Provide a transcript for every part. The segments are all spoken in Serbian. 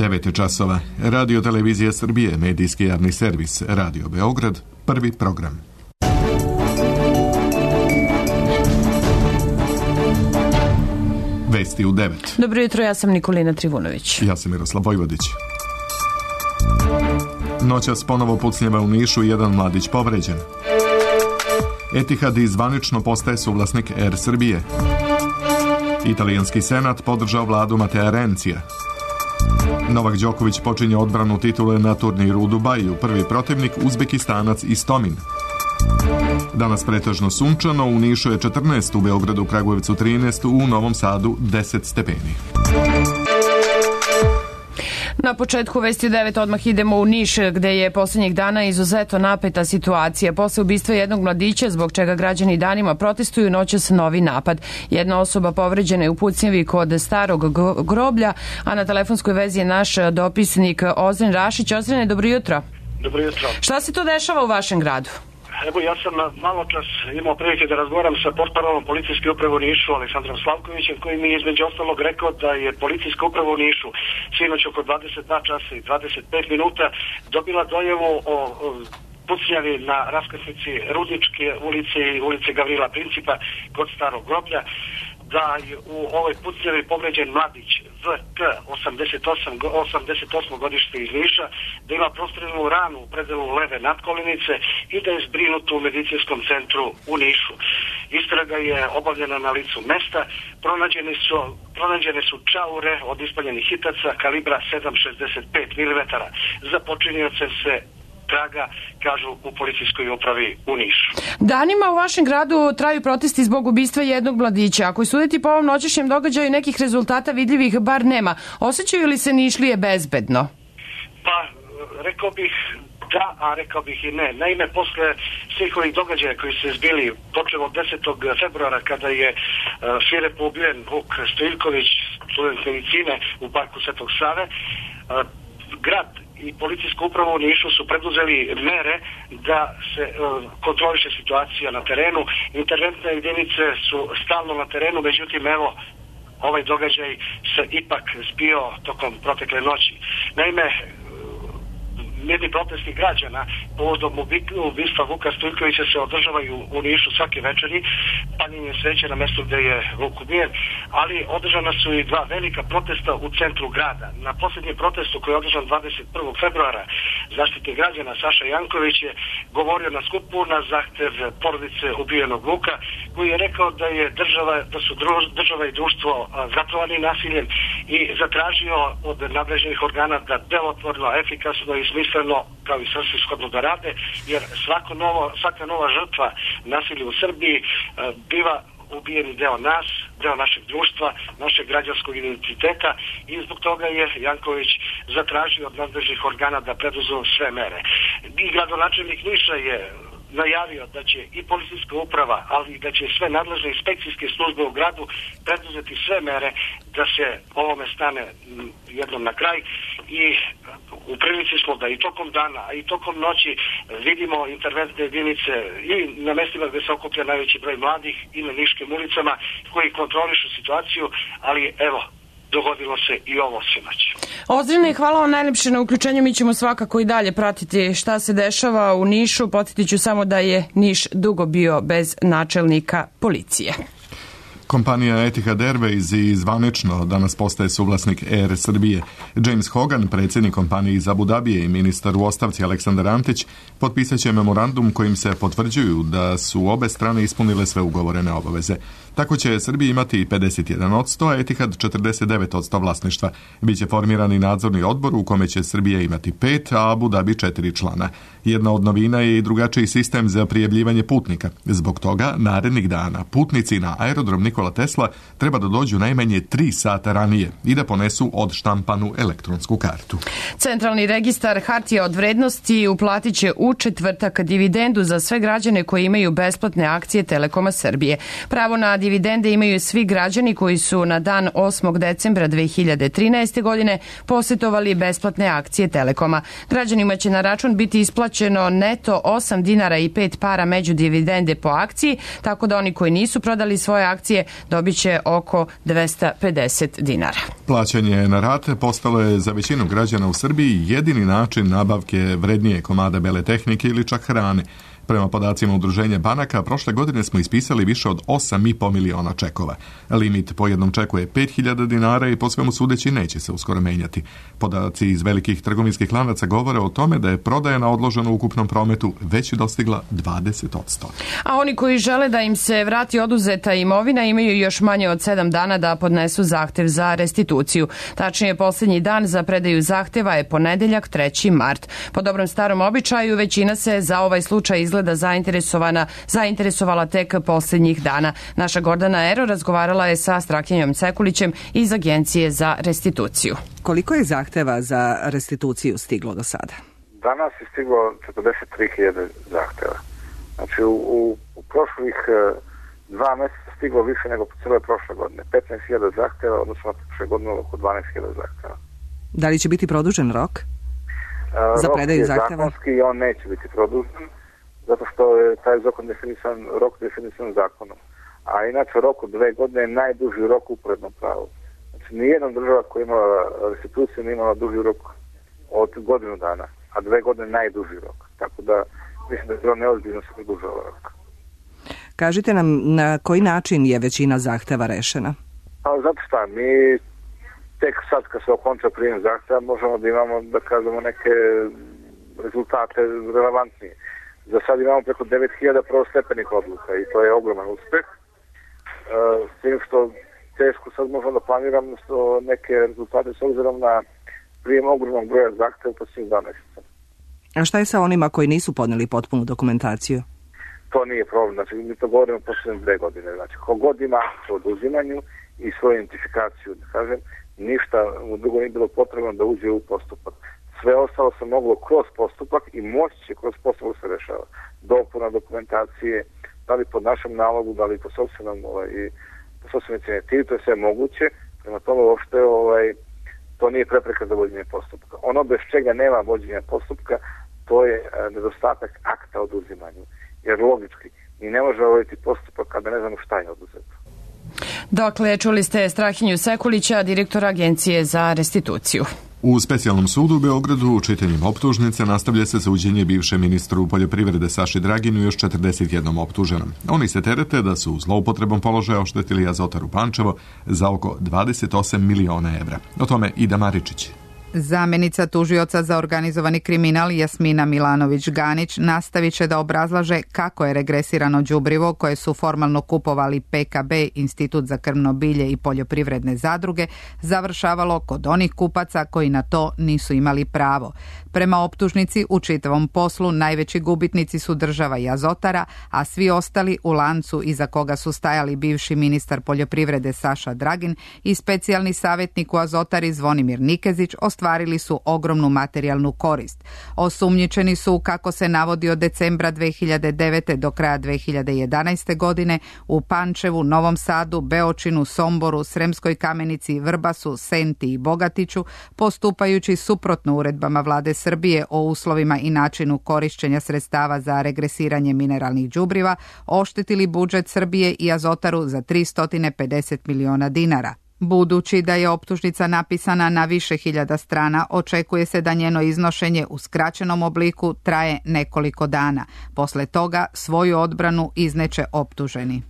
9 časova. Radio Televizija Srbije, medijski javni servis, Radio Beograd, prvi program. Vesti u 9. Dobro jutro, ja sam Nikolina Trivunović. Ja sam Miroslav Vojvodić. Noćas ponovo pucnjeva u Nišu i jedan mladić povređen. Etihad zvanično postaje suvlasnik Air Srbije. Italijanski senat podržao vladu Matea Rencija. Novak Đoković počinje odbranu titule na turniru u Dubaju, prvi protivnik Uzbekistanac Istomin. Danas pretežno sunčano, u Nišu je 14, u Beogradu, Kragujevcu 13, u Novom Sadu 10 stepeni. Na početku Vesti 9 odmah idemo u Niš, gde je posljednjih dana izuzetno napeta situacija. Posle ubistva jednog mladića, zbog čega građani danima protestuju, noćas novi napad. Jedna osoba povređena je u pucnjevi kod starog groblja, a na telefonskoj vezi je naš dopisnik Ozren Rašić. Ozrene, dobro jutro. Dobro jutro. Šta se to dešava u vašem gradu? Evo, ja sam malo čas imao prilike da razgovaram sa portparolom policijske uprave u Nišu, Aleksandrom Slavkovićem, koji mi je između ostalog rekao da je policijska uprava u Nišu sinoć oko 22 časa i 25 minuta dobila dojavu o pucnjavi na raskrsnici Rudničke ulice i ulice Gavrila Principa kod starog groblja, da je u ovoj pucnjavi povređen mladić VK 88 godište iz Niša, da ima prostrelnu ranu u predelu leve nadkolenice i da je zbrinut u medicinskom centru u Nišu. Istraga je obavljena na licu mesta, pronađene su čaure od ispaljenih hitaca kalibra 7,65 mm. Za počinioce se traga, kažu u policijskoj upravi u Nišu. Danima u vašem gradu traju protesti zbog ubistva jednog mladića. Ako suditi po ovom noćašnjem događaju, nekih rezultata vidljivih bar nema. Osjećaju li se Nišlije bezbedno? Pa, rekao bih da, a rekao bih i ne. Naime, posle svih ovih događaja koji su zbili, počeo od 10. februara kada je svirepo ubijen Vuk Stojiljković, student medicine u parku Svetog Save, grad i policijska uprava u Nišu su preduzeli mere da se kontroliše situacija na terenu. Interventne jedinice su stalno na terenu, međutim, evo, ovaj događaj se ipak zbio tokom protekle noći. Naime, mirni protesti građana povodom ubistva Vuka Stojiljkovića se održavaju u Nišu svake večeri, paljenje sveće na mestu gde je Vuk ubijen, ali održana su i dva velika protesta u centru grada. Na posljednjem protestu koji je održan 21. februara, Zaštitnik građana Saša Janković je govorio na skupu na zahtev porodice ubijenog Vuka, koji je rekao da su država i društvo zatrovani nasiljem i zatražio od nadležnih organa da delotvorno, efikasno i smisleno, kao i svrsishodno da rade, jer svaka nova žrtva nasilja u Srbiji biva ubijeni deo nas, deo našeg društva, našeg građanskog identiteta, i zbog toga je Janković zatražio od nadležnih organa da preduzu sve mere. I gradonačelnik Niša je najavio da će i policijska uprava, ali i da će sve nadležne inspekcijske službe u gradu preduzeti sve mere da se ovome stane jednom na kraj, i u prilici smo da i tokom dana, a i tokom noći vidimo interventne jedinice i na mestima gde se okuplja najveći broj mladih i na niškim ulicama koji kontrolišu situaciju, ali evo, dogodilo se i ovo sinoć. Ozrene, hvala vam najlepše na uključenju. Mi ćemo svakako i dalje pratiti šta se dešava u Nišu. Podsjetit ću samo da je Niš dugo bio bez načelnika policije. Kompanija Etihad Airways i zvanično danas postaje suvlasnik Air Srbije. James Hogan, predsjednik kompanije iz Abu Dabije, i ministar u ostavci Aleksandar Antić potpisat će memorandum kojim se potvrđuju da su obe strane ispunile sve ugovorene obaveze. Tako će Srbija imati 51%, a Etihad 49% vlasništva. Biće formirani nadzorni odbor u kome će Srbija imati 5, a Abu Dabi 4 člana. Jedna od novina je i drugačiji sistem za prijavljivanje putnika. Zbog toga, narednih dana putnici na aerodrom Nikola Tesla treba da dođu najmanje 3 sata ranije i da ponesu odštampanu elektronsku kartu. Centralni registar hartija od vrednosti uplatit će u četvrtak dividendu za sve građane koji imaju besplatne akcije Telekoma Srbije. Pravo na dividende imaju svi građani koji su na dan 8. decembra 2013. godine posjetovali besplatne akcije Telekoma. Građanima će na račun biti isplaćeno neto 8 dinara i 5 para među dividende po akciji, tako da oni koji nisu prodali svoje akcije dobit će oko 250 dinara. Plaćanje na rate postalo je za većinu građana u Srbiji jedini način nabavke vrednije komada bele tehnike ili čak hrane. Prema podacima Udruženja banaka, prošle godine smo ispisali više od 8,5 miliona čekova. Limit po jednom čeku je 5.000 dinara i po svemu sudeći neće se uskoro menjati. Podaci iz velikih trgovinskih lanaca govore o tome da je prodaja na odloženo u ukupnom prometu već dostigla 20%. A oni koji žele da im se vrati oduzeta imovina imaju još manje od 7 dana da podnesu zahtev za restituciju. Tačnije, posljednji dan za predaju zahteva je ponedeljak 3. mart. Po dobrom starom običaju, većina se za ovaj slučaj izgleda zainteresovala tek posljednjih dana. Naša Gordana Ero razgovarala je sa Strahinjom Sekulićem iz Agencije za restituciju. Koliko je zahteva za restituciju stiglo do sada? Danas je stiglo 43.000 zahteva. Znači u prošlih 2 mjeseca stiglo više nego po cijeloj prošle godine. 15.000 zahteva, odnosno prošle godine oko 12.000 zahteva. Da li će biti produžen rok za predaju zahteva? Rok je zakonski i on neće biti produžen, zato što je taj rok definisan zakonom. A inače rok od 2 godine je najduži rok u uporednom pravu. Znači nijedna država koja je imala restituciju nije imala duži rok od godinu dana, a 2 godine najduži rok. Tako da mislim da je bilo neozbiljno se produžava rok. Kažite nam na koji način je većina zahteva rešena? Pa zato šta, mi tek sad kad se okonča prijem zahteva možemo da imamo, da kažemo, neke rezultate relevantnije. Za sad imamo preko 9.000 prvostepenih odluka i to je ogroman uspeh. S tim što teško sad možemo da planiramo neke rezultate s obzirom na prijem ogromnog broja zahteva u posljednjih 2 mjeseca. A šta je sa onima koji nisu podneli potpunu dokumentaciju? To nije problem, znači mi to govorimo posljednje 2 godine. Znači kogod ima o oduzimanju i svoju identifikaciju, da kažem, ništa u drugo nije bilo potrebno da uđe u postupak. Sve ostalo se moglo kroz postupak i moći će kroz postupak se rešava. Dopuna dokumentacije, da li po našem nalogu, da li po sopstvenom inicijativi, to je sve moguće. Prema tome uopšte to nije prepreka za vođenje postupka. Ono bez čega nema vođenja postupka, to je nedostatak akta o oduzimanju. Jer logički, mi ne možemo voditi postupak kada ne znamo šta je oduzeto. Dakle, čuli ste Strahinju Sekulića, direktora Agencije za restituciju. U specijalnom sudu u Beogradu čitanjem optužnice nastavlja se suđenje bivšem ministru poljoprivrede Saši Draginu i još 41 optuženom. Oni se terete da su zloupotrebom položaja oštetili Azotaru Pančevo za oko 28 miliona evra. O tome Ida Maričić. Zamenica tužioca za organizovani kriminal Jasmina Milanović-Ganić nastavit će da obrazlaže kako je regresirano đubrivo koje su formalno kupovali PKB, Institut za krmno bilje i poljoprivredne zadruge, završavalo kod onih kupaca koji na to nisu imali pravo. Prema optužnici, u čitavom poslu najveći gubitnici su država i Azotara, a svi ostali u lancu iza koga su stajali bivši ministar poljoprivrede Saša Dragin i specijalni savjetnik u Azotari Zvonimir Nikezić ostvarili su ogromnu materijalnu korist. Osumnjičeni su, kako se navodi, od decembra 2009. do kraja 2011. godine u Pančevu, Novom Sadu, Beočinu, Somboru, Sremskoj Kamenici, Vrbasu, Senti i Bogatiću, postupajući suprotno uredbama vlade Srbije o uslovima i načinu korišćenja sredstava za regresiranje mineralnih đubriva, oštetili budžet Srbije i Azotaru za 350 miliona dinara. Budući da je optužnica napisana na više hiljada strana, očekuje se da njeno iznošenje u skraćenom obliku traje nekoliko dana. Posle toga svoju odbranu izneće optuženi.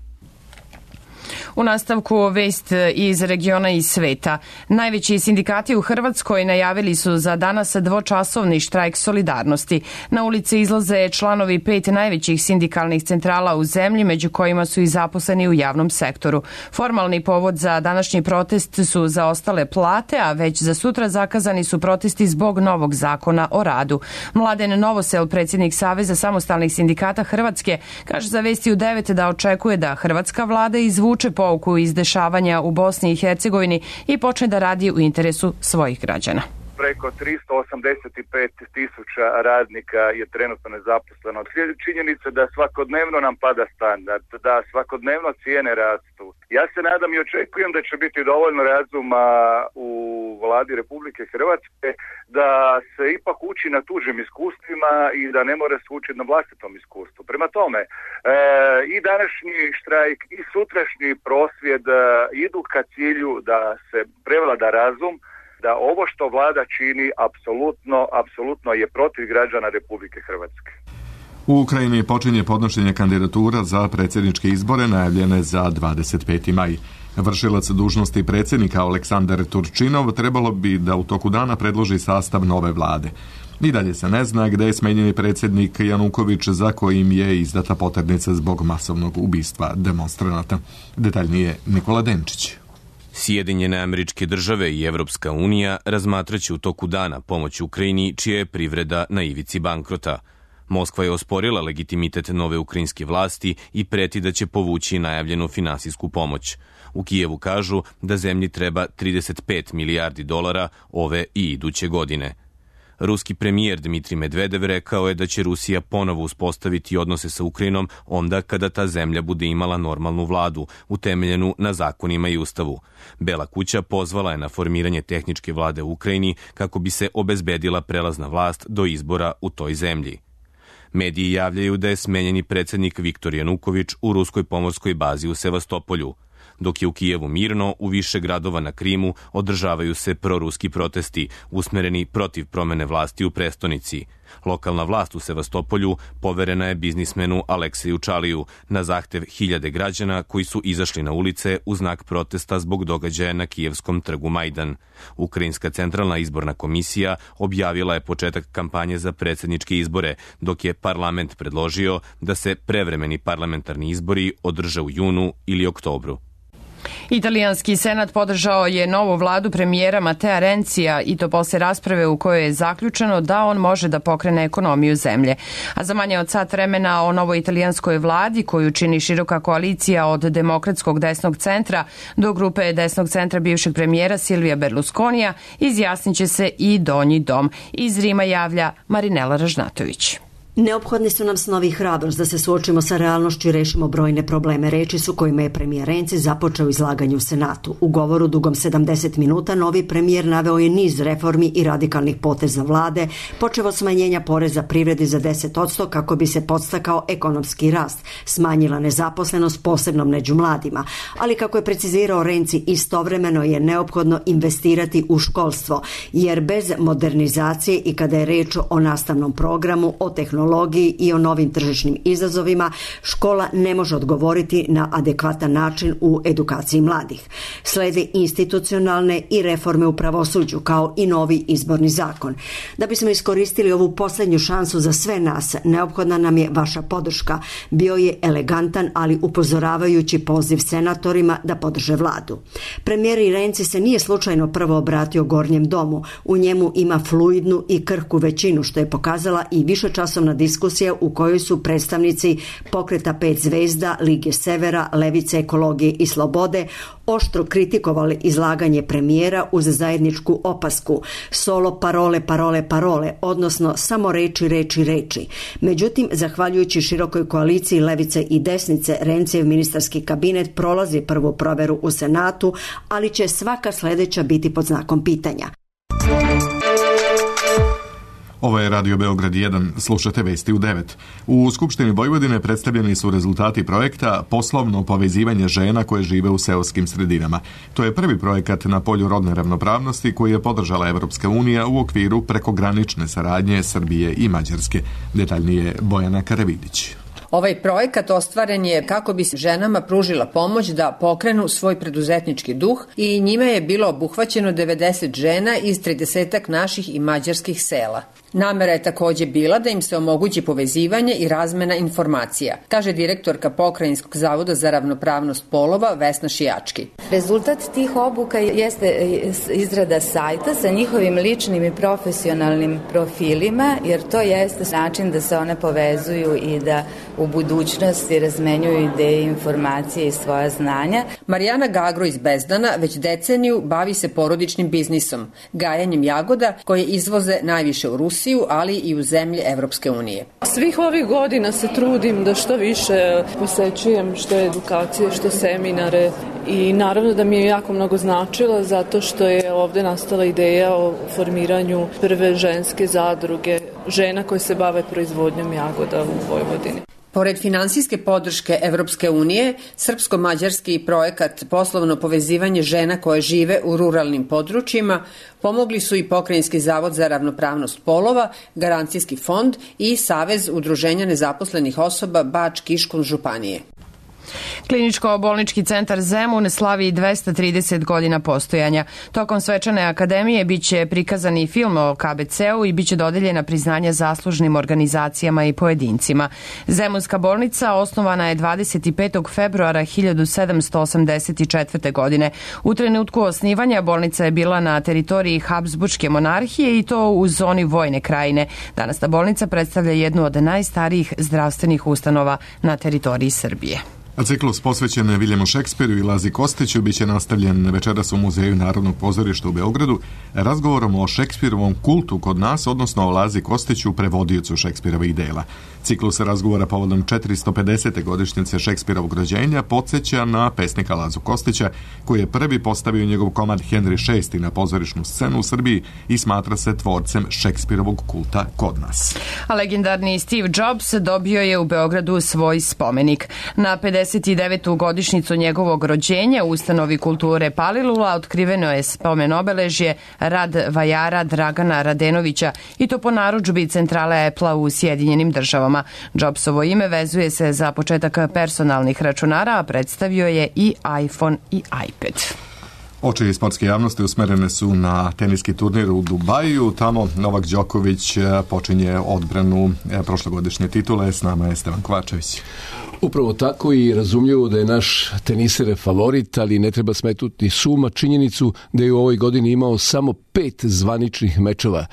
U nastavku vest iz regiona i sveta. Najveći sindikati u Hrvatskoj najavili su za danas dvočasovni štrajk solidarnosti. Na ulice izlaze članovi 5 najvećih sindikalnih centrala u zemlji, među kojima su i zaposleni u javnom sektoru. Formalni povod za današnji protest su zaostale plate, a već za sutra zakazani su protesti zbog novog zakona o radu. Mladen Novosel, predsjednik Saveza samostalnih sindikata Hrvatske, kaže za Vesti u 9 da očekuje da hrvatska vlada izvuče pouku iz dešavanja u Bosni i Hercegovini i počne da radi u interesu svojih građana. preko 385.000 radnika je trenutno nezaposleno. Činjenica da svakodnevno nam pada standard, da svakodnevno cijene rastu. Ja se nadam i očekujem da će biti dovoljno razuma u Vladi Republike Hrvatske da se ipak uči na tuđim iskustvima i da ne mora se učiti na vlastitom iskustvu. Prema tome, i današnji štrajk i sutrašnji prosvjed idu ka cilju da se prevlada razum, da ovo što vlada čini apsolutno je protiv građana Republike Hrvatske. U Ukrajini počinje podnošenje kandidatura za predsjedničke izbore najavljene za 25. maj. Vršilac dužnosti predsjednika Aleksandar Turčinov trebalo bi da u toku dana predloži sastav nove vlade. I dalje se ne zna gde je smenjeni predsjednik Januković za kojim je izdata poternica zbog masovnog ubistva demonstranata. Detaljnije Nikola Denčić. Sjedinjene Američke Države i Evropska unija razmatraće u toku dana pomoć Ukrajini čija je privreda na ivici bankrota. Moskva je osporila legitimitet nove ukrajinske vlasti i preti da će povući najavljenu finansijsku pomoć. U Kijevu kažu da zemlji treba 35 milijardi dolara ove i iduće godine. Ruski premijer Dmitrij Medvedev rekao je da će Rusija ponovo uspostaviti odnose sa Ukrajinom onda kada ta zemlja bude imala normalnu vladu, utemeljenu na zakonima i ustavu. Bela kuća pozvala je na formiranje tehničke vlade u Ukrajini kako bi se obezbedila prelazna vlast do izbora u toj zemlji. Mediji javljaju da je smenjeni predsjednik Viktor Januković u ruskoj pomorskoj bazi u Sevastopolju. Dok je u Kijevu mirno, u više gradova na Krimu održavaju se proruski protesti, usmereni protiv promene vlasti u prestonici. Lokalna vlast u Sevastopolju poverena je biznismenu Alekseju Čaliju na zahtev hiljade građana koji su izašli na ulice u znak protesta zbog događaja na kijevskom trgu Majdan. Ukrajinska centralna izborna komisija objavila je početak kampanje za predsjedničke izbore, dok je parlament predložio da se prevremeni parlamentarni izbori održe u junu ili oktobru. Italijanski senat podržao je novu vladu premijera Matea Renzija i to posle rasprave u kojoj je zaključeno da on može da pokrene ekonomiju zemlje. A za manje od sat vremena o novoj italijanskoj vladi koju čini široka koalicija od demokratskog desnog centra do grupe desnog centra bivšeg premijera Silvija Berlusconija izjasnit će se i Donji dom. Iz Rima javlja Marinela Ražnatović. Neophodni su nam snovi i hrabrost da se suočimo sa realnošću i rešimo brojne probleme, reči su kojima je premijer Renzi započeo izlaganje u Senatu. U govoru dugom 70 minuta novi premijer naveo je niz reformi i radikalnih poteza vlade, počev od smanjenja poreza privredi za 10% kako bi se podstakao ekonomski rast, smanjila nezaposlenost posebno među mladima, ali kako je precizirao Renzi, istovremeno je neophodno investirati u školstvo, jer bez modernizacije i kada je reč o nastavnom programu, o tehnologiji i o novim tržišnim izazovima, škola ne može odgovoriti na adekvatan način u edukaciji mladih. Slede institucionalne i reforme u pravosuđu, kao i novi izborni zakon. Da bismo iskoristili ovu posljednju šansu za sve nas, neophodna nam je vaša podrška. Bio je elegantan, ali upozoravajući poziv senatorima da podrže vladu. Premijer Renzi se nije slučajno prvo obratio Gornjem domu. U njemu ima fluidnu i krhku većinu, što je pokazala i višečasovna diskusija u kojoj su predstavnici Pokreta 5 zvezda, Lige Severa, Levice, Ekologije i Slobode oštro kritikovali izlaganje premijera uz zajedničku opasku solo parole, parole, parole, odnosno samo reči, reči, reči. Međutim, zahvaljujući širokoj koaliciji Levice i desnice, Renzijev ministarski kabinet prolazi prvu proveru u Senatu, ali će svaka sljedeća biti pod znakom pitanja. Ovo je Radio Beograd 1, slušate vesti u 9. U Skupštini Vojvodine predstavljeni su rezultati projekta Poslovno povezivanje žena koje žive u seoskim sredinama. To je prvi projekat na polju rodne ravnopravnosti koji je podržala Evropska unija u okviru prekogranične saradnje Srbije i Mađarske. Detaljnije Bojana Karavidić. Ovaj projekat ostvaren je kako bi se ženama pružila pomoć da pokrenu svoj preduzetnički duh i njime je bilo obuhvaćeno 90 žena iz 30 naših i mađarskih sela. Namera je takođe bila da im se omogući povezivanje i razmena informacija, kaže direktorka Pokrajinskog zavoda za ravnopravnost polova Vesna Šijački. Rezultat tih obuka jeste izrada sajta sa njihovim ličnim i profesionalnim profilima, jer to jeste način da se one povezuju i da u budućnosti razmenjuju ideje, informacije i svoja znanja. Marijana Gagro iz Bezdana već deceniju bavi se porodičnim biznisom, gajanjem jagoda koje izvoze najviše u Rusiju, ali i u zemlje Evropske unije. Svih ovih godina se trudim da što više posećujem što edukacije, što seminare i naravno da mi je jako mnogo značilo zato što je ovde nastala ideja o formiranju prve ženske zadruge žena koje se bave proizvodnjom jagoda u Vojvodini. Pored finansijske podrške Evropske unije, srpsko-mađarski projekat Poslovno povezivanje žena koje žive u ruralnim područjima pomogli su i Pokrajinski zavod za ravnopravnost polova, Garancijski fond i Savez udruženja nezaposlenih osoba Bač-Kiškun županije. Kliničko-bolnički centar Zemun slavi 230 godina postojanja. Tokom svečane akademije biće prikazan i film o KBC-u i biće dodeljena priznanja zaslužnim organizacijama i pojedincima. Zemunska bolnica osnovana je 25. februara 1784. godine. U trenutku osnivanja bolnica je bila na teritoriji Habsburške monarhije i to u zoni vojne krajine. Danas ta bolnica predstavlja jednu od najstarijih zdravstvenih ustanova na teritoriji Srbije. A ciklus posvećen Viljemu Šekspiru i Lazi Kostiću biće nastavljen večeras u Muzeju Narodnog pozorišta u Beogradu razgovorom o Šekspirovom kultu kod nas, odnosno o Lazi Kostiću, prevodiocu Šekspirovih dela. Ciklus razgovora povodom 450. godišnjice Šekspirovog rođenja podsjeća na pesnika Lazu Kostića, koji je prvi postavio njegov komad Henry VI na pozorišnu scenu u Srbiji i smatra se tvorcem Šekspirovog kulta kod nas. A legendarni Steve Jobs dobio je u Beogradu svoj spomenik. Na 59. godišnjicu njegovog rođenja u ustanovi kulture Palilula otkriveno je spomen obeležje rad vajara Dragana Radenovića i to po narudžbi centrale Apple-a u Sjedinjenim državama. Jobsovo ime vezuje se za početak personalnih računara, a predstavio je i iPhone i iPad. Oči sportske javnosti usmerene su na teniski turnir u Dubaju. Tamo Novak Đoković počinje odbranu prošlogodišnje titule. S nama je Stevan Kovačević. Upravo tako i razumljivo da je naš teniser favorit, ali ne treba smetnuti suma činjenicu da je u ovoj godini imao samo 5 zvaničnih mečeva.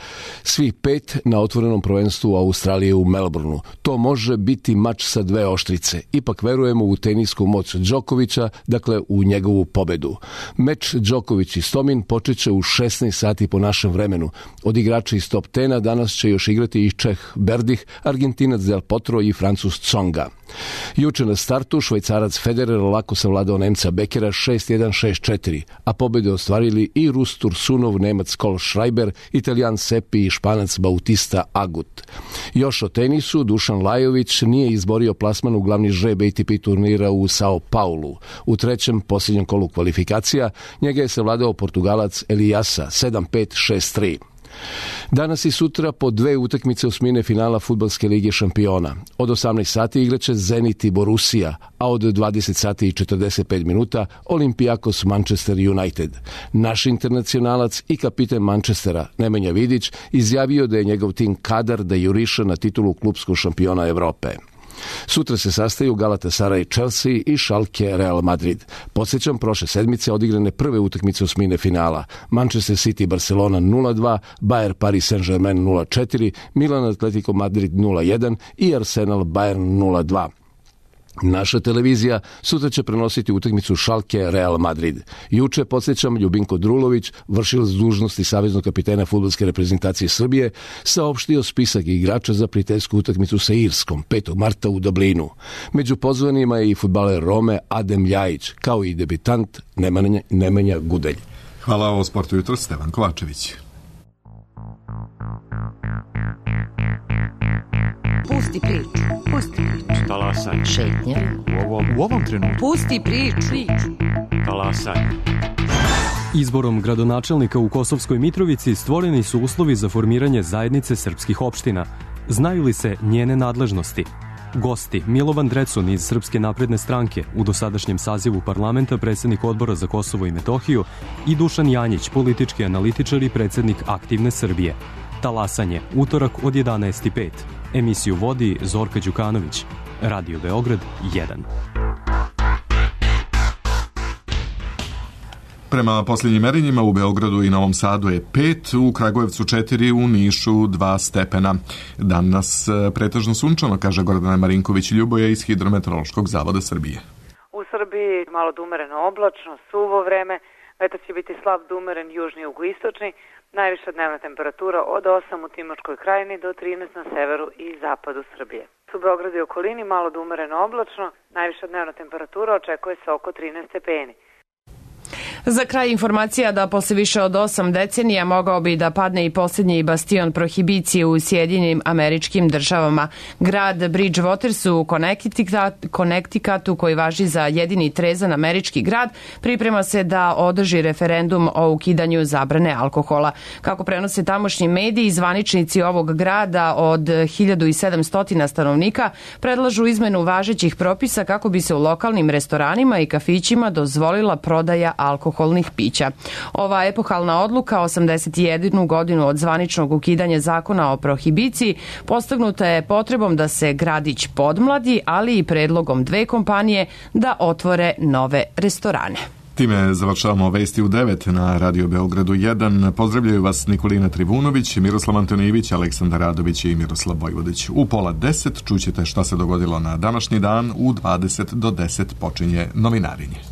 Svih 5 na otvorenom prvenstvu Australije u Melbourneu. To može biti mač sa 2 oštrice. Ipak verujemo u tenisku moć Đokovića, dakle u njegovu pobedu. Meč Đoković i Stomin počeće u 16 sati po našem vremenu. Od igrača iz top 10 danas će još igrati i Čeh Berdih, Argentinac Del Potro i Francus Tsonga. Juče na startu Švajcarac Federer lako savladao Nemca Bekera 6-1, 6-4, a pobede ostvarili i Rus Tursunov, Nemac Kol Schreiber, Italijan Seppi i Španac Bautista Agut. Još o tenisu, Dušan Lajović nije izborio plasman u glavni žreb ATP turnira u Sao Paulu. U trećem posljednjem kolu kvalifikacija njega je savladao Portugalac Eliasa 7-5, 6-3. Danas i sutra po 2 utakmice osmine finala Fudbalske lige šampiona. Od 18 sati igraće Zenit i Borussia, a od 20 sati i 45 minuta Olympiakos Manchester United. Naš internacionalac i kapiten Manchestera, Nemanja Vidić, izjavio da je njegov tim kadar da juriša na titulu klupskog šampiona Evrope. Sutra se sastaju Galatasaray Chelsea i Schalke Real Madrid. Podsjećam, prošle sedmice odigrane prve utakmice osmine finala. Manchester City Barcelona 0-2, Bayern Paris Saint-Germain 0-4, Milan Atletico Madrid 0-1 i Arsenal Bayern 0-2. Naša televizija sutra će prenositi utakmicu Schalke Real Madrid. Juče, podsjećam, Ljubinko Drulović, vršilac dužnosti saveznog kapitena fudbalske reprezentacije Srbije, saopštio spisak igrača za prijateljsku utakmicu sa Irskom 5. marta u Dublinu. Među pozvanima je i fudbaler Rome Adem Ljajić, kao i debitant Nemanja Gudelj. Hvala o Sportu jutro, Stevan Kovačević. Pusti priču. Pusti priču. Talasaj. Šetnja. U ovom trenutku. Pusti priču. Talasaj. Izborom gradonačelnika u Kosovskoj Mitrovici stvoreni su uslovi za formiranje zajednice srpskih opština. Znaju li se njene nadležnosti? Gosti: Milovan Drecun iz Srpske napredne stranke, u dosadašnjem sazivu parlamenta predsjednik Odbora za Kosovo i Metohiju, i Dušan Janjić, politički analitičar i predsjednik Aktivne Srbije. Talasanje, utorak od 11:05. Emisiju vodi Zorka Đukanović. Radio Beograd 1. Prema posljednjim merenjima u Beogradu i Novom Sadu je 5, u Kragujevcu 4, u Nišu 2 stepena. Danas pretežno sunčano, kaže Gordana Marinković-Ljuboja iz Hidrometeorološkog zavoda Srbije. U Srbiji malo dumereno oblačno, suvo vreme, vetar će biti slab dumeren južni i jugoistočni, najviša dnevna temperatura od 8 u Timočkoj krajini do 13 na severu i zapadu Srbije. U Beogradu i okolini malo dumereno oblačno, najviša dnevna temperatura očekuje se oko 13 stepeni. Za kraj informacija da posle više od 8 decenija mogao bi da padne i posljednji bastion prohibicije u Sjedinjenim Američkim Državama. Grad Bridgewater u Connecticutu, koji važi za jedini trezan američki grad, priprema se da održi referendum o ukidanju zabrane alkohola. Kako prenose tamošnji mediji, zvaničnici ovog grada od 1700 stanovnika predlažu izmenu važećih propisa kako bi se u lokalnim restoranima i kafićima dozvolila prodaja alkoholnih pića. Ova epohalna odluka, 81 godinu od zvaničnog ukidanja zakona o prohibiciji, postignuta je potrebom da se gradić podmladi, ali i predlogom 2 kompanije da otvore nove restorane. Time završavamo vesti u 9 na Radio Beogradu 1. Pozdravljaju vas Nikolina Trivunović, Miroslav Antonijević, Aleksandar Radović i Miroslav Vojvodić. U 9:30 čućete šta se dogodilo na današnji dan, u 20 do 10 počinje novinarinje.